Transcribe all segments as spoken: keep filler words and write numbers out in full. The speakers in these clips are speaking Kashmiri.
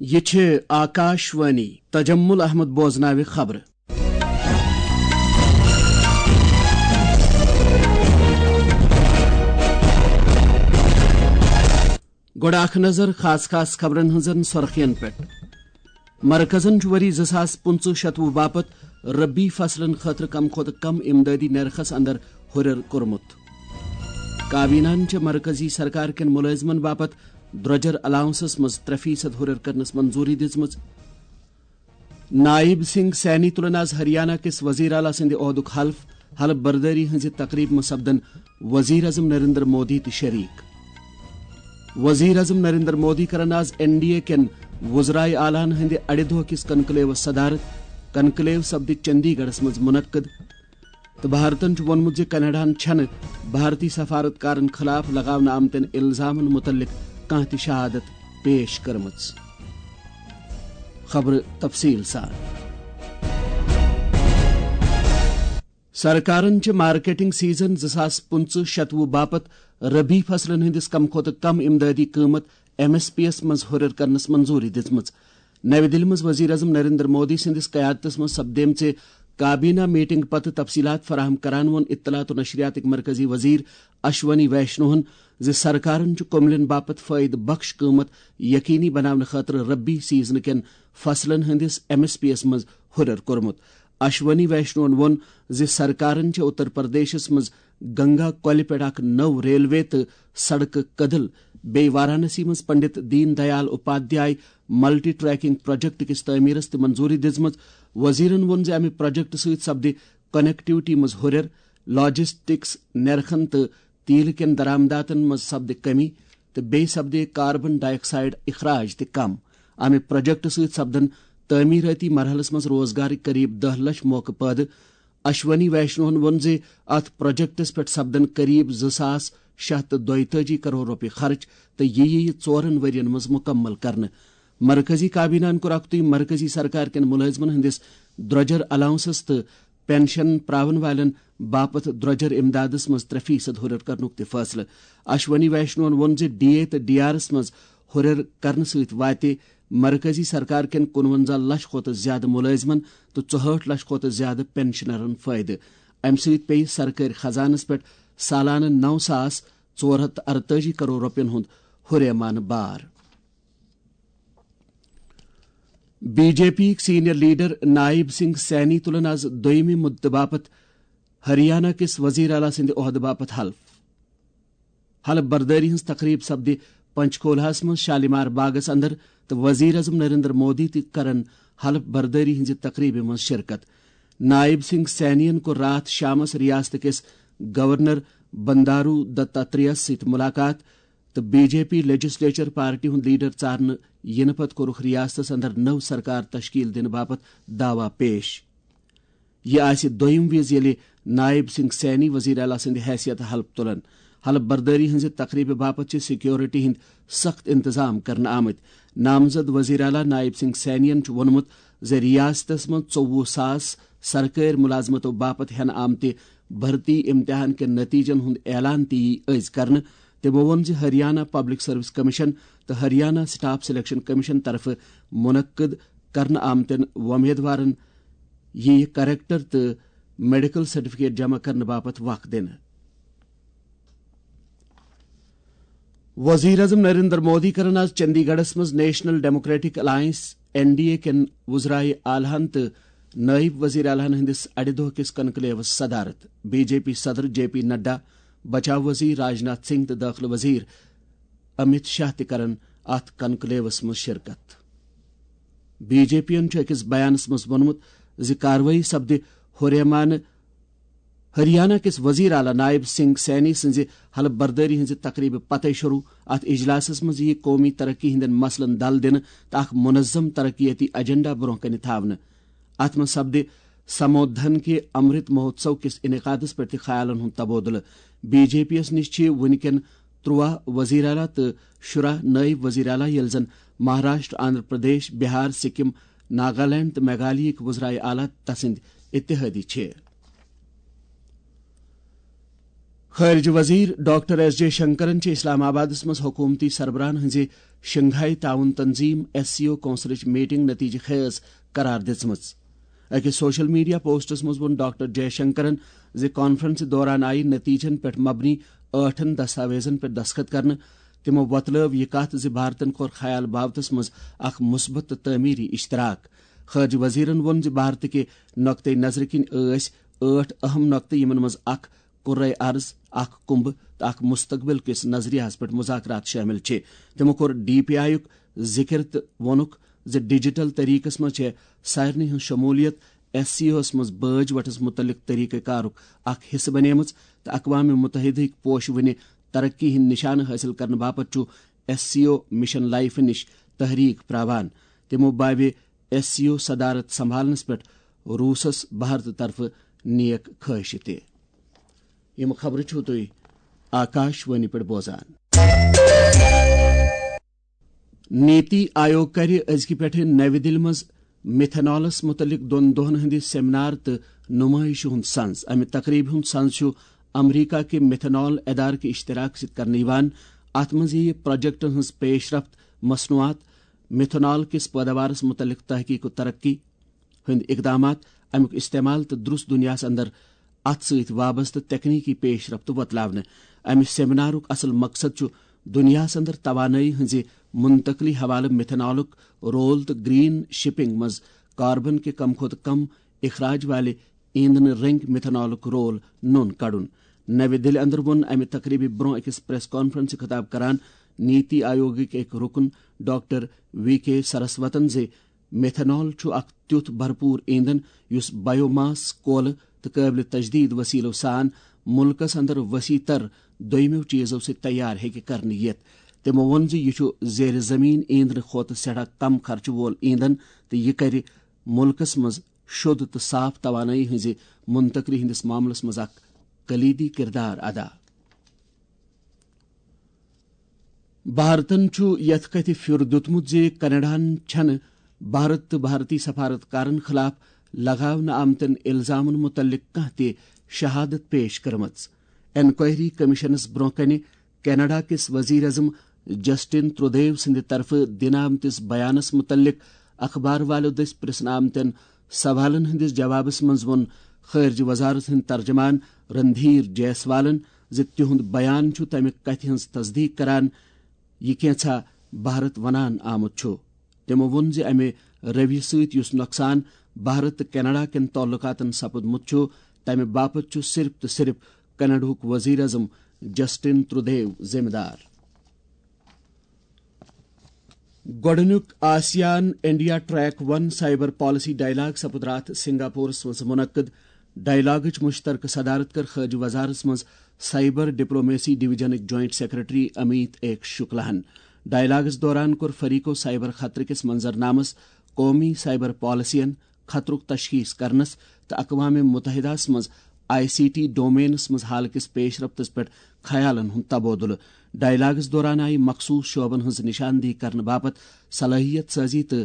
یہِ چھِ آکاش وانی۔ تجمل احمد بوزناوِ خبرٕ۔ گۄڈٕ اکھ نظر خاص خاص خبرن ہٕنٛزن سرخین پٮ۪ٹھ۔ مرکزن چھُ ؤری زٕ ساس پٕنٛژٕہ شتوُہ باپتھ ربی فصلن خٲطرٕ کم کھۄتہٕ کم امدادی نرخس اندر ہُرٮ۪ر کوٚرمُت۔ کابینہن چھِ مرکزی سرکار کٮ۪ن مُلٲزمن باپتھ درۄجر الاونسس منٛز ترٛےٚ فیصد ہُرٮ۪ر کرنس منظوٗری دِژمٕژ۔ نائب سنگھ سینی تُلن آز ہریانہ کِس وزیر اعلیٰ سٕنٛدِ عہدُک حلف۔ حلف بردٲری ہٕنٛزِ تقریبہِ منٛز سپدن وزیر اعظم نریندر مودی تہِ شریک۔ وزیر اعظم نریندر مودی کرن آز این ڈی اے کٮ۪ن وزرائے اعلیٰ ہن ہٕنٛدِ اَڑِ دۄہ کِس کنکلیوس صدارت۔ کنکلیو سپدِ چندی گڑھس منٛز منعقد۔ تہٕ بھارتن چھُ ووٚنمُت زِ کینیڈاہن چھَنہٕ بھارتی سفارتکارن خلاف لگاونہٕ آمتٮ۪ن الزامن مُتعلق کانٛہہ تہِ شہادت پیش کٔرمٕژ۔ خبرٕ تفصیٖل سان۔ سرکارن چھِ مارکیٹنگ سیزن زٕ ساس پٕنٛژٕہ شتوُہ باپتھ ربی فصلن ہٕنٛدِس کم کھۄتہٕ کم امدادی قۭمت، ایم ایس پی یَس منٛز ہُرٮ۪ر کرنس منظوٗری دِژمٕژ۔ نَوِ دِلہِ منٛز وزیر اعظم نریندر مودی سٕنٛدِس قیادتس منٛز سپدیمژِ کابینہ میٹنگ پتہٕ تفصیلات فراہم کران ووٚن اطلاعات و نشریاتٕکۍ مرکزی وزیر اشونی ویشنوہن زِ سرکارن چھُ کوٚملٮ۪ن باپتھ فٲیدٕ بخش قۭمت یقینی بناونہٕ خٲطرٕ ربی سیزنہٕ کٮ۪ن فصلن ہٕنٛدِس ایم ایس پی یَس منٛز ہُرٮ۪ر کوٚرمُت۔ اشونی ویشنوہن ووٚن زِ سرکارن چھِ اتر پردیشس منٛز گنگا کۄلہِ پٮ۪ٹھ اکھ نٔو ریلوے تہٕ سڑکہٕ کدل، بیٚیہِ وارانسی منٛز Pandit Deen Dayal Upadhyaya multi tracking project کِس تعمیرس تہِ منظوٗری دِژمٕژ۔ وزیرن ووٚن زِ امہِ پروجیکٹ سۭتۍ سپدِ کنیکٹیوٹی منٛز ہُرٮ۪ر، لاجسٹکس نرخن تہٕ تیل کٮ۪ن درآمداتن منٛز سپدِ کمی تہٕ بیٚیہِ سپدِ کاربن ڈائی آکسائیڈ اخراج تہِ کم۔ امہِ پروجیکٹ سۭتۍ سپدن تعمیراتی مرحلس منٛز روزگارٕکۍ قریب دَہ لچھ موقعہٕ پٲدٕ۔ اشونی ویشنوہن ووٚن زِ اتھ پروجیکٹس پٮ۪ٹھ سپدن قریب زٕ ساس شےٚ ہتھ تہٕ دۄیتٲجی کرور رۄپیہِ خرٕچ تہٕ یہِ یِیہِ ژورن ؤرین منٛز مُکمل کرنہٕ۔ مرکزی کابینہن کوٚر اکُتُے مرکزی سرکار کٮ۪ن مُلٲزمن ہٕنٛدِس درۄجر الاونسس تہٕ پینشن پراون والٮ۪ن باپتھ درۄجر امدادس منٛز ترٛےٚ فیصد ہُرٮ۪ر کرنُک تہِ فٲصلہٕ۔ اشونی ویشنوہن ووٚن زِ ڈی اے تہٕ ڈی آرس منٛز ہُرٮ۪ر کرنہٕ سۭتۍ واتہِ مرکزی سرکار کٮ۪ن کُنوَنزاہ لچھ کھۄتہٕ زیادٕ مُلٲزمن تہٕ ژُہٲٹھ لچھ کھۄتہٕ زیادٕ پینشنرن فٲیدٕ۔ امہِ سۭتۍ پیٚیہِ سرکٲرۍ خزانس پٮ۪ٹھ سالانہٕ نَو ساس ژور ہتھ تہٕ ارتٲجی کرور رۄپین ہُنٛد ہُریمانہٕ بار۔ بی جے پی یِکۍ سینئر لیڈر نائب سنگھ سینی تُلن آز دوٚیمہِ مُدتہٕ باپتھ ہریانہ کِس وزیر اعلیٰ سٕنٛدِ عہدٕ باپتھ حلف۔ حلف بردٲری ہٕنٛز تقریب سپدِ پنچکولہس منٛز شالیمار باغس اندر تہٕ وزیر اعظم نریندر مودی تہِ کرن حلف بردٲری ہٕنٛزِ تقریبہِ منٛز شرکت۔ نائب سنگھ سینین کوٚر راتھ شامس ریاست کِس گورنر بندارو دتاتریہس سۭتۍ مُلاقات تہٕ B J P legislature party ہُنٛد لیڈر ژارنہٕ یِنہٕ پتہٕ کوٚرُکھ ریاستس اندر نٔو سرکار تشکیل دِنہٕ باپتھ دعویٰ پیش۔ یہِ آسہِ دوٚیِم وِزِ ییٚلہِ نائب سنگھ سینی وزیر اعلیٰ سٕنٛدِ حیثیت حلف تُلن۔ حلف بردٲری ہٕنٛزِ تقریبہِ باپتھ چھِ سیکیورٹی ہٕنٛدۍ سخت انتظام کرنہٕ آمٕتۍ۔ نامزد وزیر اعلیٰ نائب سنگھ سینین چھُ ووٚنمُت زِ ریاستس منٛز ژوٚوُہ ساس سرکٲرۍ مُلازمتو باپتھ ہٮ۪نہٕ آمتہِ بھرتی امتحان کٮ۪ن نتیجن ہُنٛد اعلان تہِ یِیہِ أزۍ کرنہٕ۔ تِمو ووٚن زِ ہریانہ پبلک سروس کمیشن تہٕ ہریانہ سٹاف سلیکشن کمیشن طرفہٕ منعقد کرنہٕ آمتٮ۪ن وۄمیدوارن یِیہِ کریکٹر تہٕ میڈیکل سرٹیفکیٹ جمع کرنہٕ باپتھ وق دِنہٕ۔ وزیر اعظم نریندر مودی کرن آز چندی گڑھس منٛز national democratic alliance, N D A, کٮ۪ن وزرائے اعلیٰ ہن تہٕ نائب وزیر اعلیٰ ہن ہٕنٛدِس اَڑِ دۄہ کِس کنکلیوس صدارت۔ بی جے پی صدر جے پی نڈا، بچاو وزیر راج ناتھ سنگھ تہٕ دٲخلہٕ وزیر امت شاہ تہِ کرن اتھ کنکلیوس منٛز شرکت۔ بی جے پی یَن چھُ أکِس بیانس منٛز ووٚنمُت زِ کاروٲیی سپدِ ہریمانہٕ، ہریانہ کِس وزیر اعلیٰ نائب سنگھ سینی سٕنٛزِ حلف بردٲری ہٕنٛزِ تقریبہِ پتے شروع۔ اتھ اجلاسس منٛز یِیہِ قومی ترقی ہٕنٛدٮ۪ن مسلن دل دِنہٕ تہٕ اکھ منظم ترقیتی ایجنڈا برونٛہہ کنہِ تھاونہٕ۔ اتھ منٛز سپدِ سمودھن کے امرت مہوتسو کِس انعقادس پٮ۪ٹھ تہِ خیالن ہُنٛد تبادلہٕ۔ بی جے پی یَس نِش چھِ وُنہِ کٮ۪ن ترٛواہ وزیر اعلیٰ تہٕ شُراہ نائب وزیر اعلیٰ، ییٚلہِ زن مہاراشٹر، آندھرا پردیش، بہار، سکم، ناگالینڈ تہٕ میگھالیہٕکۍ وزرائے اعلیٰ تسٕنٛدۍ اتحادی چھِ۔ خارجہ وزیر ڈاکٹر ایس جے شنکرن چھِ اسلام آبادس منٛز حکومتی سربراہن ہٕنٛزِ شنگھائی تعاون تنظیم، ایس سی او، کونسلٕچ میٹنگ نتیجہ خیز قرار دِژمٕژ۔ أکِس سوشل میڈیا پوسٹس منٛز ووٚن ڈاکٹر جے شنکرن زِ کانفرنسہِ دوران آیہِ نتیجن پٮ۪ٹھ مبنی ٲٹھن دستاویزن پٮ۪ٹھ دستخط کرنہٕ۔ تِمو وۄتلٲو یہِ کتھ زِ بھارتن کوٚر خیال باوتس منٛز اکھ مثبت تہٕ تعمیری اشتراک۔ خارجہ وزیرن ووٚن زِ بھارتٕکہِ نقطہٕ نظرٕ کِنۍ ٲسۍ ٲٹھ اہم نقطہٕ، یِمن منٛز اکھ کرۂ ارض، اکھ کنبہٕ تہٕ اکھ مستقبل کِس نظریہس پٮ۪ٹھ مذاکرات شٲمِل چھِ۔ تِمو کوٚر ڈی پی آئی یُک ذِکِر تہٕ ووٚنُکھ زِ ڈیجیٹل طریقس منٛز چھےٚ سارنٕے ہٕنٛز شمولیت ایس سی اوس منٛز بٲج وٹس مُتعلق طریقہ کارُک اکھ حصہٕ بنیمٕژ تہٕ اقوام متحدہٕکۍ پوشہٕ وٕنہِ ترقی ہٕنٛدۍ نشانہٕ حٲصِل کرنہٕ باپتھ چھُ ایس سی او مشن لائف نِش تحریک پراوان۔ تِمو بابہِ ایس سی او صدارت سنبھالنس پٮ۪ٹھ روٗسس بھارتہٕ طرفہٕ نیک خواہشہِ تہِ۔ یِم خبرٕ چھِو تُہۍ آکاش وانی پٮ۪ٹھ بوزان۔ نیتی آیوگ کَرِ أزکہِ پٮ۪ٹھٕ نَوِ دِلہِ منٛز میتھنالَس مُتعلِق دۄن دۄہَن ہٕنٛدِ سیمینار تہٕ نُمٲیشہِ ہُنٛد سنز۔ اَمہِ تقریٖبہِ ہُنٛد سنز چھُ امریکہ کہِ میتھنال ادارٕ کہِ اشتراک سۭتۍ کرنہٕ یِوان۔ اَتھ منٛز یِیہِ پروجیکٹَن ہٕنٛز پیش رفت، مصنوعات، میتھنال کِس پٲداوارَس مُتعلِق تحقیق و ترقی ہٕنٛدۍ اقدامات، اَمیُک استعمال تہٕ درست دُنیاہَس اندر اَتھ سۭتۍ وابستہٕ تکنیکی پیش رفت وۄتلاونہٕ۔ اَمہِ سیمینارُک اصل مقصد چھُ دُنیاہَس اندر توانٲیی ہٕنٛزِ منتقلی حوالہٕ میتھنالُک رول تہٕ گرین شپنگ منٛز کاربن کہِ کم کھۄتہٕ کم اخراج والہِ ایندھنہٕ رٔنگۍ میتھنالُک رول نوٚن کڑُن۔ نَوِ دِلہِ اندر ووٚن اَمہِ تقریٖبہِ برٛونٛہہ أکِس پریس کانفرنسہِ خطاب کران نیتی آیوگٕکۍ أکۍ رُکُن ڈاکٹر وی کے سرسوتن زِ میتھنال چھُ اکھ تیُتھ بھرپوٗر ایندھن یُس بایو ماس، کولہٕ تہٕ قٲبلِ تجدید وسیلو سان مُلکس اندر وسیع تر دوٚیمٮ۪و چیزو سۭتۍ تیار ہیٚکہِ کرنہٕ یِتھ۔ تِمو ووٚن زِ یہِ چھُ زیر زمین ایندھنہٕ کھۄتہٕ سٮ۪ٹھاہ کم خرچہٕ وول ایندھن تہٕ یہِ کرِ مُلکس منٛز شوٚد تہٕ صاف توانٲیی ہٕنٛزِ منتقلی ہٕنٛدِس معاملس منٛز اکھ کلیدی کردار ادا۔ بھارتن چھُ یتھ کتھِ پھِیُر دیُتمُت زِ کینیڈاہن چھنہٕ بھارت تہٕ بھارتی سفارتکارن خلاف لگاونہٕ آمتٮ۪ن الزامن مُتعلق کانٛہہ تہِ شہادت پیش کٔرمٕژ۔ انکوائری کمیشنس برٛونٛہہ کنہِ کینیڈا کِس وزیر اعظم جسٹن ترودیو سٕنٛدِ طرفہٕ دِنہٕ آمتِس بیانس مُتعلق اخبار والٮ۪و دٔسۍ پرژھنہٕ آمتٮ۪ن سوالن ہٕنٛدِس جوابس منٛز ووٚن خارجہ وزارت ہٕنٛدۍ ترجمان رندھیر جیسوالن زِ تِہُنٛد بیان چھُ تمہِ کتھِ ہٕنٛز تصدیق کران، یہِ کینٛژھا بھارت ونان آمُت چھُ۔ تِمو ووٚن زِ امہِ رویہِ سۭتۍ یُس نۄقصان بھارت تہٕ کینیڈا کٮ۪ن تعلقاتن سپُدمُت چھُ، تمہِ باپتھ چھُ صرف تہٕ صرف کینیڈاہُک وزیر اعظم جسٹن ترودیو ذمہٕ دار۔ گۄڈٕنیُک آسیان انڈیا ٹریک ون سائبر پالیسی ڈائیلاگ سپُد راتھ سنگاپورس منٛز منعقد۔ ڈائیلاگٕچ مشترکہ صدارت کٔر خارجہ وزارت منٛز سائبر ڈپلومیسی ڈویژنٕکۍ جوائنٹ سیکرٹری امیت ایک شکلاہن۔ ڈائیلاگس دوران کوٚر فریقو سائبر خطرٕ کِس منظرنامس، قومی سائبر پالیسین، خطرُک تشخیص کرنس تہٕ اقوام متحدہس منٛز آئی سی ٹی ڈومینس منٛز حال کِس پیش رفتس پٮ۪ٹھ خیالن ہُنٛد تبادلہٕ۔ ڈائیلاگس دوران آیہِ مخصوص شعبن ہٕنٛز نشاندہی کرنہٕ باپتھ صلٲحیت سازی تہٕ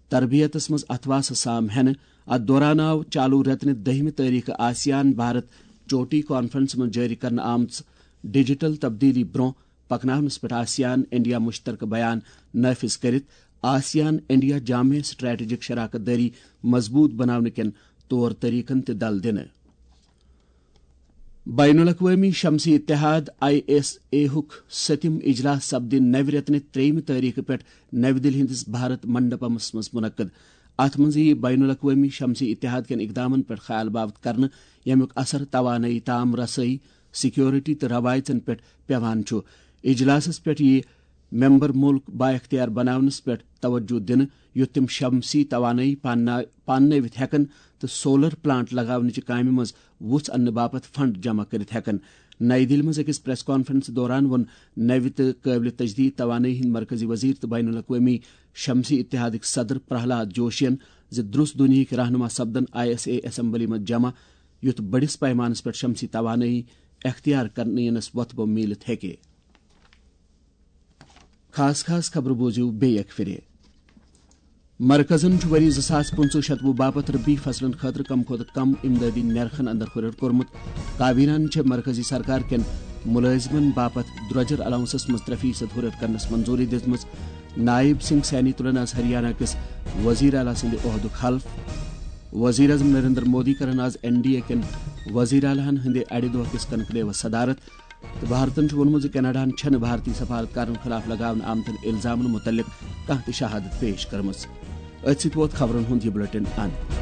تربیتس منٛز اتھواسہٕ سام ہینہٕ۔ اتھ دوران آو چالو رٮ۪تہٕ نہِ دٔہمہِ تٲریخہٕ آسیان بھارت چوٹی کانفرنس منٛز جٲری کرنہٕ آمژ ڈیجیٹل تبدیلی برٛونٛہہ پکناونس پٮ۪ٹھ آسیان انڈیا مشترکہ بیان نافذ کٔرِتھ آسیان انڈیا جامع سٹریٹجک شراکت دٲری مضبوط بناونہٕ کٮ۪ن طور طریقن تہِ دل دِنہٕ۔ بین الاقوٲمی شمسی اتحاد، آئی ایس اے ہُک سٔتِم اجلاس سپدِ نوِ رٮ۪تہٕ نہِ ترٛیٚیِمہِ تٲریخہٕ پٮ۪ٹھ نَوِ دِلہِ ہٕنٛدِس بھارت منڈپمس منٛز منعقد۔ اتھ منٛز یِیہِ بین الاقوٲمی شمسی اتحاد کٮ۪ن اقدامن پٮ۪ٹھ خیال باوت کرنہٕ، ییٚمیُک اثر توانٲیی تام رسٲیی، سیکورٹی تہٕ روایژن پٮ۪ٹھ پٮ۪وان چھُ۔ اجلاسس پٮ۪ٹھ یِیہِ ممبر مُلک بااختیار بناونس پٮ۪ٹھ توجہ دِنہٕ، یُتھ تِم شمسی توانٲیی پاننا-، پاننٲوِتھ ہٮ۪کن تہٕ سولر پلانٹ لگاونٕچہِ کامہِ منٛز وُژھ اننہٕ باپتھ فنڈ جمع کٔرِتھ ہٮ۪کن۔ نَیہِ دِلہِ منٛز أکِس پریس کانفرنس دوران ووٚن نَوِ تہٕ قٲبلِ تجدید توانٲیی ہٕنٛدۍ مرکزی وزیر تہٕ بین الاقوٲمی شمسی اتحادٕکۍ صدر پرہلاد جوشین زِ درست دُنیاہٕکۍ رہنما سپدن آئی ایس اے اسمبلی منٛز جمع، یُتھ بٔڑِس پیمانس پٮ۪ٹھ شمسی توانٲیی اختیار کرنہٕ یِنس وۄتھٕ بۄم میٖلِتھ ہیٚکہِ۔ خاص خاص خبرٕ بوٗزِو بیٚیہِ اکہِ پھِرِ۔ مرکزن چھُ ؤری زٕ ساس پٕنٛژٕہ شتوُہ باپتھ ربی فصلن خٲطرٕ کم کھۄتہٕ کم امدادی نرخن اندر ہُرٮ۪ر کوٚرمُت۔ کابینہن چھےٚ مرکزی سرکار کٮ۪ن مُلٲزمن باپتھ درۄجر الاونسس منٛز ترٛےٚ فیصد ہُرٮ۪ر کرنس منظوٗری دِژمٕژ۔ نائب سنگھ سینی تُلن آز ہریانہ کِس وزیر اعلیٰ سٕنٛدِ عہدُک حلف۔ وزیر اعظم نریندر مودی کرن آز این ڈی اے کٮ۪ن وزیر اعلیٰ ہن ہٕنٛدِ اَڑِ دۄہ کِس کنکلیوس صدارت۔ تہٕ بھارتن چھُ ووٚنمُت زِ کینیڈاہن چھَنہٕ بھارتی سفارتکارن خلاف لگاونہٕ آمتٮ۪ن الزامن مُتعلق کانٛہہ تہِ شہادت پیش کٔرمٕژ۔ أتھۍ سۭتۍ ووت خبرن ہُنٛد یہِ بلیٹن اند۔